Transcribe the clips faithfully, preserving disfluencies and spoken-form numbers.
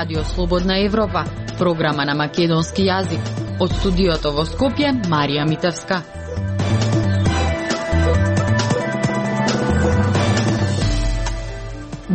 Радио Слободна Европа, програма на македонски јазик. Од студиото во Скопје, Марија Митевска.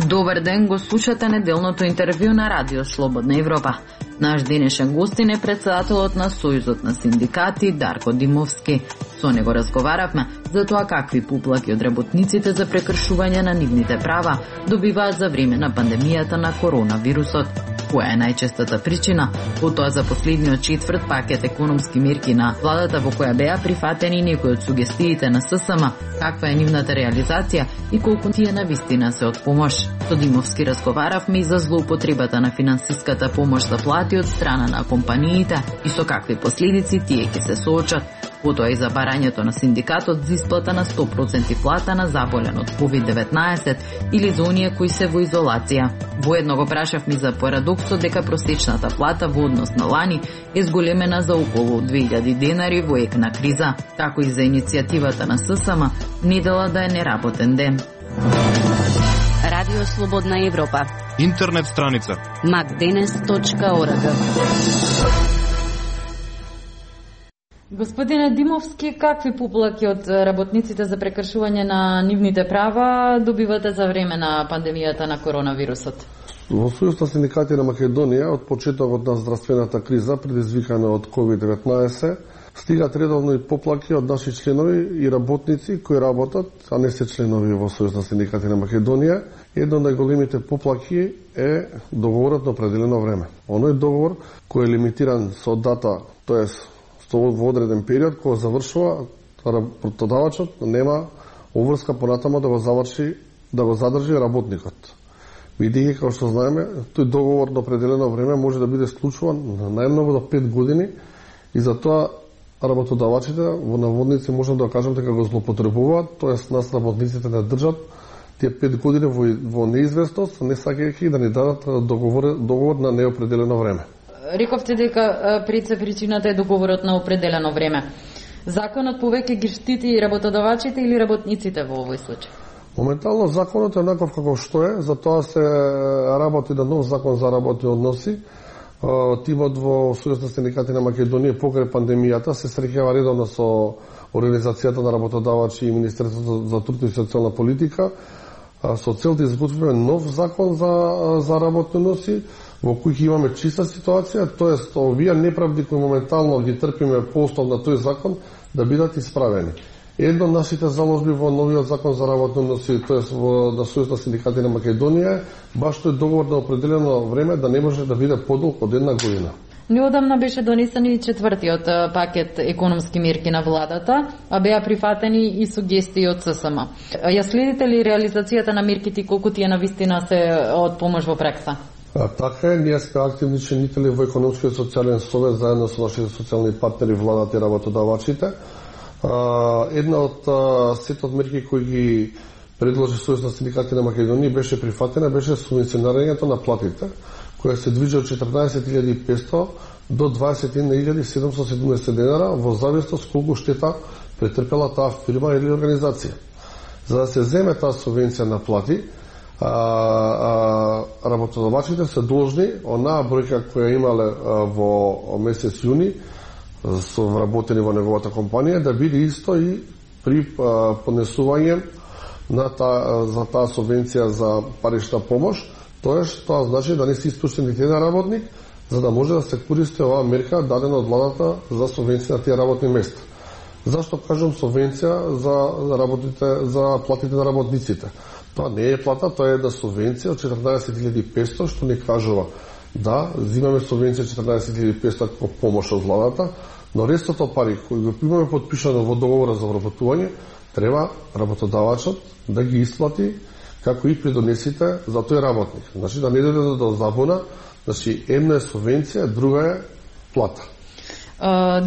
Добар ден, го слушате неделното интервју на Радио Слободна Европа. Наш денешен гостин е председателот на Сојузот на синдикати Дарко Димовски. Со него разговаравме за тоа какви поплаки од работниците за прекршување на нивните права добиваат за време на пандемијата на коронавирусот. Која е најчестата причина? Потоа за последниот четврт пакет економски мерки на владата во која беа прифатени некои од сугестиите на ССМ, каква е нивната реализација и колку тие навистина се од помош. Со Димовски разговаравме и за злоупотребата на финансиската помош за плати од страна на компаниите и со какви последици тие ќе се соочат. Потоа и за барањето на синдикатот за исплата на сто проценти плата на заболен од ковид деветнаесет или за оние кои се во изолација. Воедно го прашавме за парадоксот дека просечната плата во однос на лани е зголемена за околу две илјади денари во ек на криза, како и за иницијативата на ССМ недела да е неработен ден. Радио Слободна Европа. Интернет страница макденес точка орг. Господине Димовски, какви поплаки од работниците за прекршување на нивните права добивате за време на пандемијата на коронавирусот? Во Сојуз на синдикати на Македонија, од почетокот на здравствената криза предизвикана од ковид деветнаесет, стигат редовно и поплаки од наши членови и работници кои работат, а не се членови во Сојуз на синдикати на Македонија. Едно од најголемите поплаки е договорот на определено време. Оној договор кој е лимитиран со дата, тоест во одреден период, кога завршува, работодавачот нема обврска понатаму да го заврши, да го задржи работникот. Бидејќи, како што знаеме, тој договор на определено време може да биде склучуван најмногу до пет години и затоа работодавачите во наводници можам да кажам дека го злоупотребуваат, тоест нас работниците не држат тие пет години во, во неизвестност, не сакајќи да ни дадат договор, договор на неопределено време. Рековте дека пред се причината е договорот на определено време. Законот повеќе ги штити и работодавачите или работниците во овој случај? Моментално законот е онаков како што е, затоа се работи на нов закон за работни односи. Тимот во Сојуз на синдикати на Македонија покрај пандемијата се среќава редовно со Организацијата на работодавачи и Министерството за труд и социјална политика со цел да изготвиме нов закон за, за работни односи во кој ќе имаме чиста ситуација, тоест овие неправди кои моментално ги трпиме по основ на тој закон да бидат исправени. Едно од нашите заложби во новиот закон за работни односи, тоест во на Сојуз на синдикати на Македонија, баш тој договор на определено време да не може да биде подолг од една година. Неодамна беше донесен и четвртиот пакет економски мерки на владата, а беа прифатени и сугестии од ССМ. Ја следите ли реализацијата на мерките и колку тие навистина се од помош во пракса? А, така е, ние сме активни членители во Економскиот социјален совет заедно со нашите социјални партнери, владата и работодавачите. А, една од а, сетот мерки кои ги предложи Сојуз на синдикати на Македонија беше прифатена, беше субвенционирањето на платите, која се движи од четрнаесет илјади и петстотини до дваесет и една илјади седумстотини и седумдесет денара во зависност колку штета претрпела таа фирма или организација. За да се земе таа субвенција на плати, А, а, работодавачите се должни онаа бројка која имале а, во месец јуни со вработени во неговата компанија да биде исто и при а, поднесување на та, за таа субвенција за парична помош, тоест тоа значи да не се испуштен нити еден работник за да може да се користи оваа мерка дадена од владата за субвенција на тие работни места. Зашто кажам субвенција за, за работите, за платите на работниците? Тоа не е плата, тоа е да субвенција од четрнаесет илјади и петстотини, што ни кажува да, зимаме субвенција четрнаесет илјади и петстотини како помош од владата, но рестото пари кои го имаме подпишано во договора за вработување, треба работодавачот да ги исплати како и придонесите за тој работник. Значи да не дојде до забуна, значи една е субвенција, друга е плата.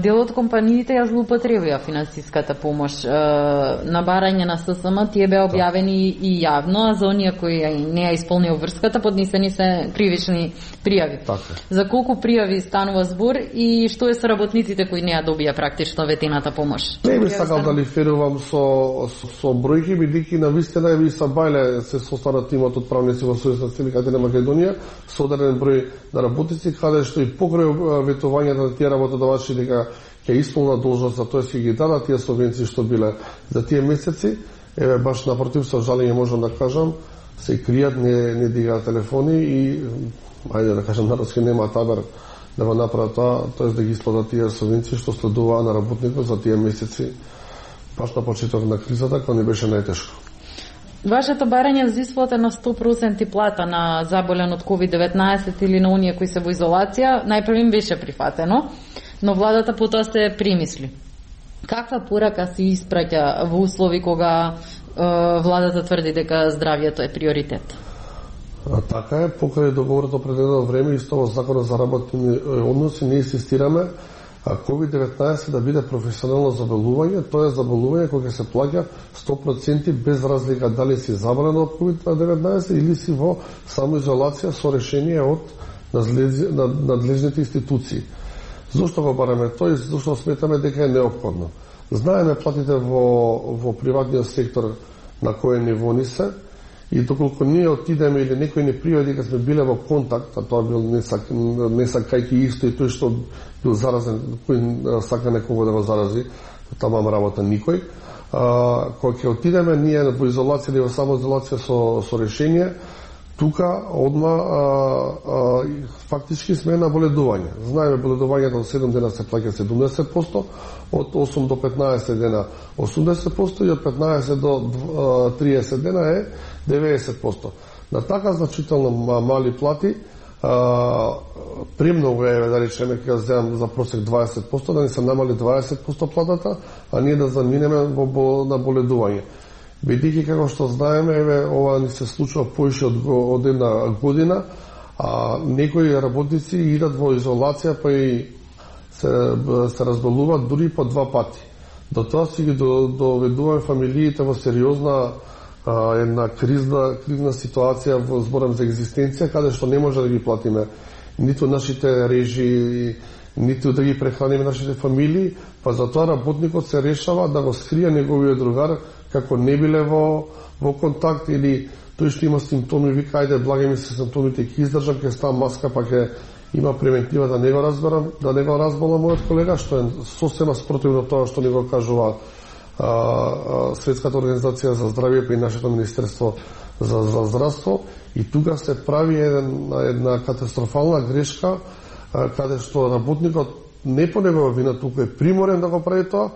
Дел од компаниите ја злоупотребија финансиската помош. На барање на ССМ тие беа објавени и јавно, а за оние кои не ја исполнија врската, поднесени се кривични пријави. Така. За колку пријави станува збор и што е со работниците кои не ја добија практично ветената помош? Не би сакал да лиферувам со, со, со бројки, бидејќи на вистина ви са бајле се состана тимот од правници во Сојуз на синдикати на Македонија со одреден број на работници, каде што и покрај ветувањето на тие работодавачи дека ќе исполнат должност, за тоа ќе ги дадат тие субвенции што биле за тие месеци. Еве баш напротив, со жалење можам да кажам, се кријат, не, не дигаат телефони и ајде да кажам народски нема табер да го направат тоа, тоест да ги исплатат тие субвенции што следуваа на работникот за тие месеци баш на почеток на кризата, кога не беше најтешко. Вашето барање за исплата на сто проценти плата на заболен од ковид деветнаесет или на оние кои се во изолација, најпрво им беше прифатено, но владата потоа се премисли. Каква порака се испраќа во услови кога е, владата тврди дека здравјето е приоритет? А, така е, покрај договорот определено време, исто во Законот за работни односи, не инсистираме ковид деветнаесет да биде професионално заболување, тоа е заболување кој ќе се плаќа сто проценти без разлика дали си заболен од ковид деветнаесет или си во самоизолација со решение од надлежните институции. Зошто го бараме тој? Зошто сметаме дека е неопходно. Знаеме платите во, во приватниот сектор на кој ниво ни се, и доколку ние отидеме или некој не пријави дека сме биле во контакт, а тоа бил не, сак, не сакајќи исто и тој што бил заразен, кој сака некого да го зарази, тамам работа никој. А, кога ќе отидеме ние во изолација или во самоизолација со, со решение, тука одма а, а, фактички сме на боледување. Знаеме боледувањето од седум дена се плаќа седумдесет проценти, од осум до петнаесет дена осумдесет проценти и од петнаесет до триесет дена е деветдесет проценти. На така значително мали плати, а, премногу е, да речеме, кога земам за просек дваесет проценти, да ни се намали дваесет проценти платата, а ние да заминеме во, на боледување. Бидејќи, како што знаеме, еве, ова ни се случува поише од, од една година, а некои работници идат во изолација, па и се, се разболуваат дури по два пати. До тоа си ги доведуваме фамилиите во сериозна а, една кризна, кризна ситуација, во зборам за екзистенција, каде што не може да ги платиме ниту нашите режи, ниту да ги прехраниме нашите фамилии, па затоа работникот се решава да го скрие неговиот другар, како не биле во, во контакт или тој што има симптоми, вика, ајде, благи ми се симптомите, ќе издржам, ќе ставам маска, па ќе има превентива да не го разберам, да не го разбола мојот колега, што е сосема спротивно тоа што ни го кажува а, а, Светската организација за здравје и нашето Министерство за, за здравство, и тука се прави една, една катастрофална грешка, а, каде што работникот не по негова вина, тука е приморен да го прави тоа,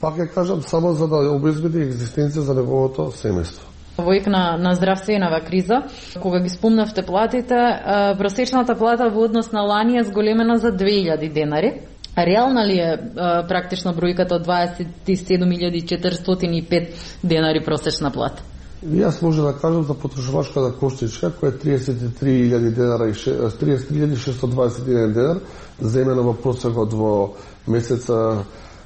пак ја кажам, само за да обезбеди екзистенција за неговото семејство. Во ек на, на здравственава криза, кога ги спомнавте платите, просечната плата во однос на лани е зголемена за две илјади денари. Реална ли е практично бројката од дваесет и седум илјади четиристотини и пет денари просечна плата? Јас може да кажам за потрошувачката коштичка, која е триесет и три илјади денара и триесет и три илјади шестоста дваесет и еден денар, земена во просекот во месеца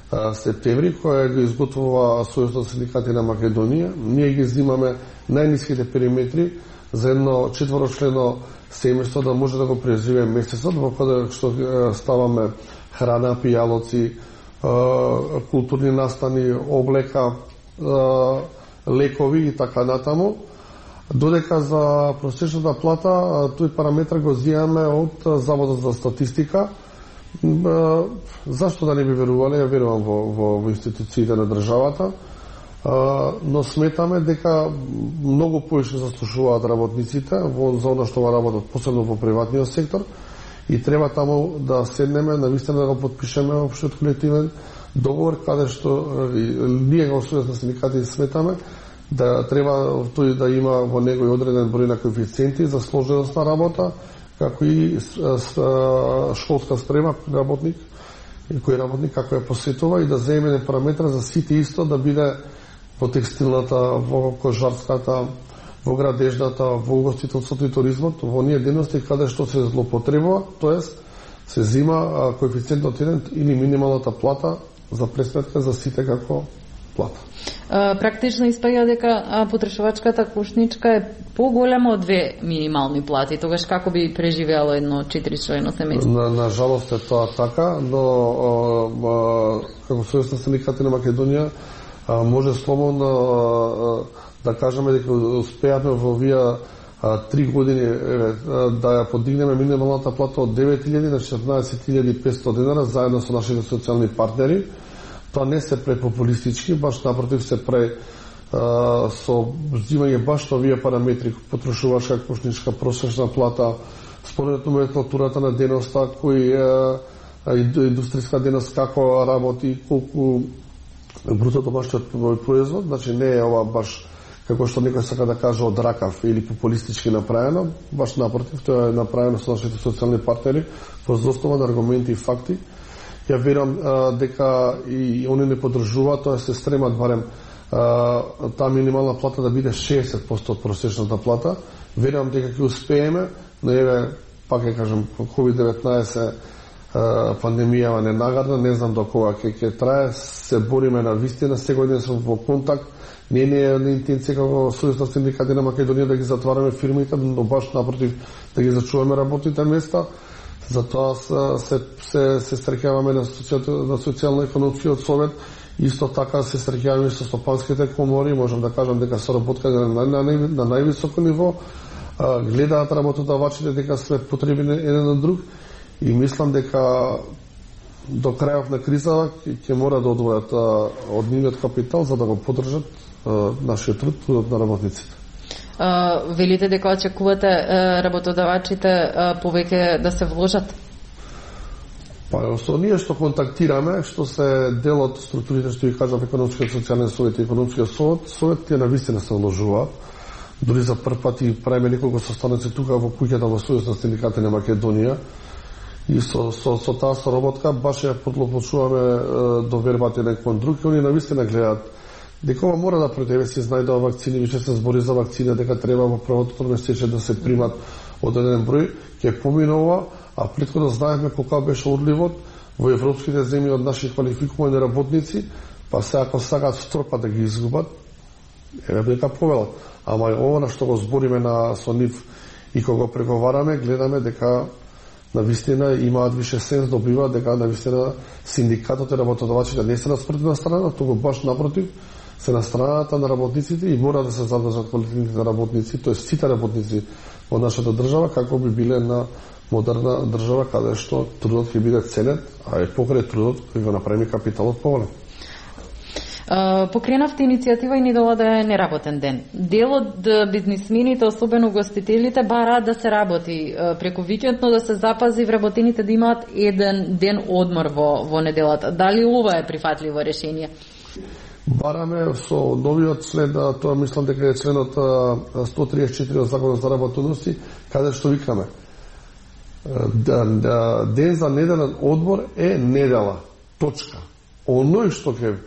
септември, која го изготвува Сојуз на синдикати на Македонија. Ние ги взимаме најниските периметри за едно четворочлено семејство да може да го преживее месецот, во кој што ставаме храна, пијалоци, културни настани, облека, лекови и така натаму. Додека за просечната плата, тој параметр го зијаме од Заводот за статистика. Зашто да не би верувале? Ја верувам во, во, во институциите на државата, но сметаме дека многу поише заслушуваат работниците во за она што работат, посебно во приватниот сектор, и треба таму да седнеме, навистина да го подпишеме општиот колективен договор, каде што ние го Сојуз на синдикати сметаме да треба тој да има во него и одреден број на коефициенти за сложеност на работа, како и школска спрема работник, кој работник како ја посетува, и да земене параметра за сите исто, да биде во текстилната, во кожарската, во градежната, во угостителството и туризмот, во оние дејности каде што се злоупотребува, тоест се зима коефициентот еден или минималната плата за пресметка за сите како плата. Практично испаѓа дека потрошувачката кошничка е поголема од две минимални плати. Тогаш како би преживеало едно четиричлено семејство? На, на жалост е тоа така, но а, а, како Сојуз на синдикати на Македонија а, може слободно а, да кажеме дека успеавме во овие три години еве, да ја подигнеме минималната плата од девет илјади на четрнаесет илјади и петстотини денара заедно со нашите социјални партнери. Тоа не се препопулистички, баш напротив се пре а, со взимање баш овие параметри, потрошувачка, кошничка, просечна плата, според номенклатурата на деноста, кој е индустријска деност, како работи, колку бруто домашниот производ, значи не е ова баш како што некој сака да каже од ракав или популистички направено, баш напротив, тоа е направено со нашите социјални партнери, воз основа на аргументи и факти. Ја верам а, дека и они не поддржуваат, тоа се стремат барем а, таа минимална плата да биде шеесет проценти од просечната плата. Верам дека ќе успееме, но еве, пак ќе кажам, ковид деветнаесет пандемијава не нагадна, не знам до кога ќе ќе трае, се бориме на вистина, секој ден сме во контакт. Не не е на интенција како Сојуз на синдикати на Македонија да ги затвараме фирмите, но баш напротив да ги зачуваме работните места. Затоа се се се среќаваме на социјално на социјално-економскиот совет, исто така се среќаваме со стопанските комори, можам да кажам дека соработка на на, на, на највисоко ниво, а, гледаат работодавачите дека сме потребни еден на друг и мислам дека до крајот на кризата ќе мора да одвојат од нивниот капитал за да го поддржат нашиот труд, трудот на работниците. Uh, велите дека очекувате uh, работодавачите uh, повеќе да се вложат? Па, со ние што контактираме, што се дел од структурите што ги кажав економскиот социјален совет и економскиот совет, совет тие навистина се вложуваат. Дури за прв пат и правиме неколку состаноци тука во куќата во Сојуз на синдикати на Македонија. И со, со, со таа соработка баш ја подлопочуваме до вербата еден кон друг и они навистина гледаат дека ова мора да пред тебе се знајдува вакцини, више се збори за вакцина, дека треба во првото тримесечие да се примат одреден број, ќе поминува, а претходно знаевме колку беше одливот во европските земји од наши квалификувани работници, па се ако сакаат втор да ги изгубат, еве дека повелат. Ама ова на што го збориме на со нив и кога го преговараме, гледаме дека на вистина имаат више сенс, добиваат дека на вистина синдикатот и работодавачите не се на спротивна страна, туку баш напротив се на страната на работниците и мора да се задржат квалитетните работници, тоест сите работници во нашата држава, како би биле на модерна држава каде што трудот ќе биде ценет, а е покрај трудот кој го направи капиталот поволен. Uh, покренавте иницијатива и недола да е неработен ден. Дел од бизнисмените, особено гостителите, бараат да се работи uh, преку викенд, но да се запази вработените да имаат еден ден одмор во, во неделата. Дали ова е прифатливо решение? Бараме со новиот член, тоа мислам дека е членот сто триесет и четири од Законот за работодности, каде што викаме ден за неделен одмор е недела. Точка. Оној што ќе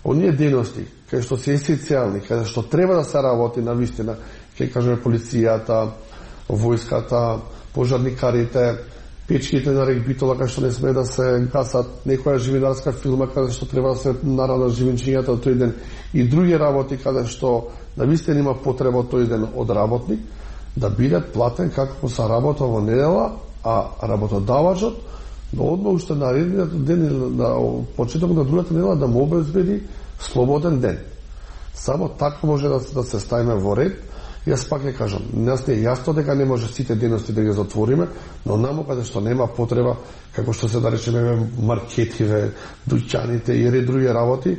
оние дености кај што се есенцијални, каде што треба да се работи на вистина, ќе кажеме полицијата, војската, пожарникарите, печките на регбитола кај што не сме да се гасат, некоја живинарска филма каде што треба да се нарадат живинчињата тој ден и други работи каде што на вистина има потреба тој ден од работник да биде платен како се работа во недела, а работодавачот но одма уште наредниот ден на почеток на другата недела да му обезбеди слободен ден. Само така може да, да се ставиме во ред. Јас пак ќе кажам, нас не е јасно дека не може сите дености да ги затвориме, но намо каде што нема потреба, како што се да речеме маркетиве, дуќаните и ред други работи,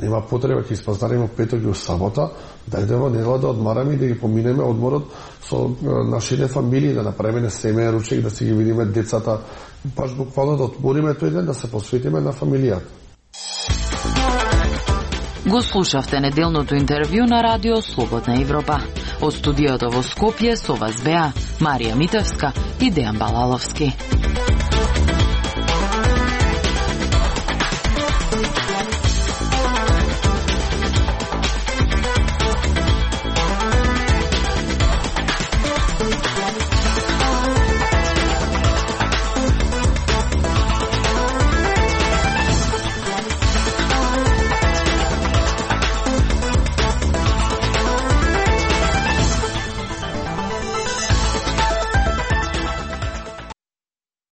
нема потреба, ќе испазариме петок и сабота, да идеме недела да одмараме и да ги поминеме одморот со нашите фамилии, да направиме семеен ручек, да си ги видиме децата, баш буквално да отмориме тој ден, да се посветиме на фамилијата. Го слушавте неделното интервју на Радио Слободна Европа. Од студиото во Скопје со вас беа Марија Митевска и Дејан Балаловски.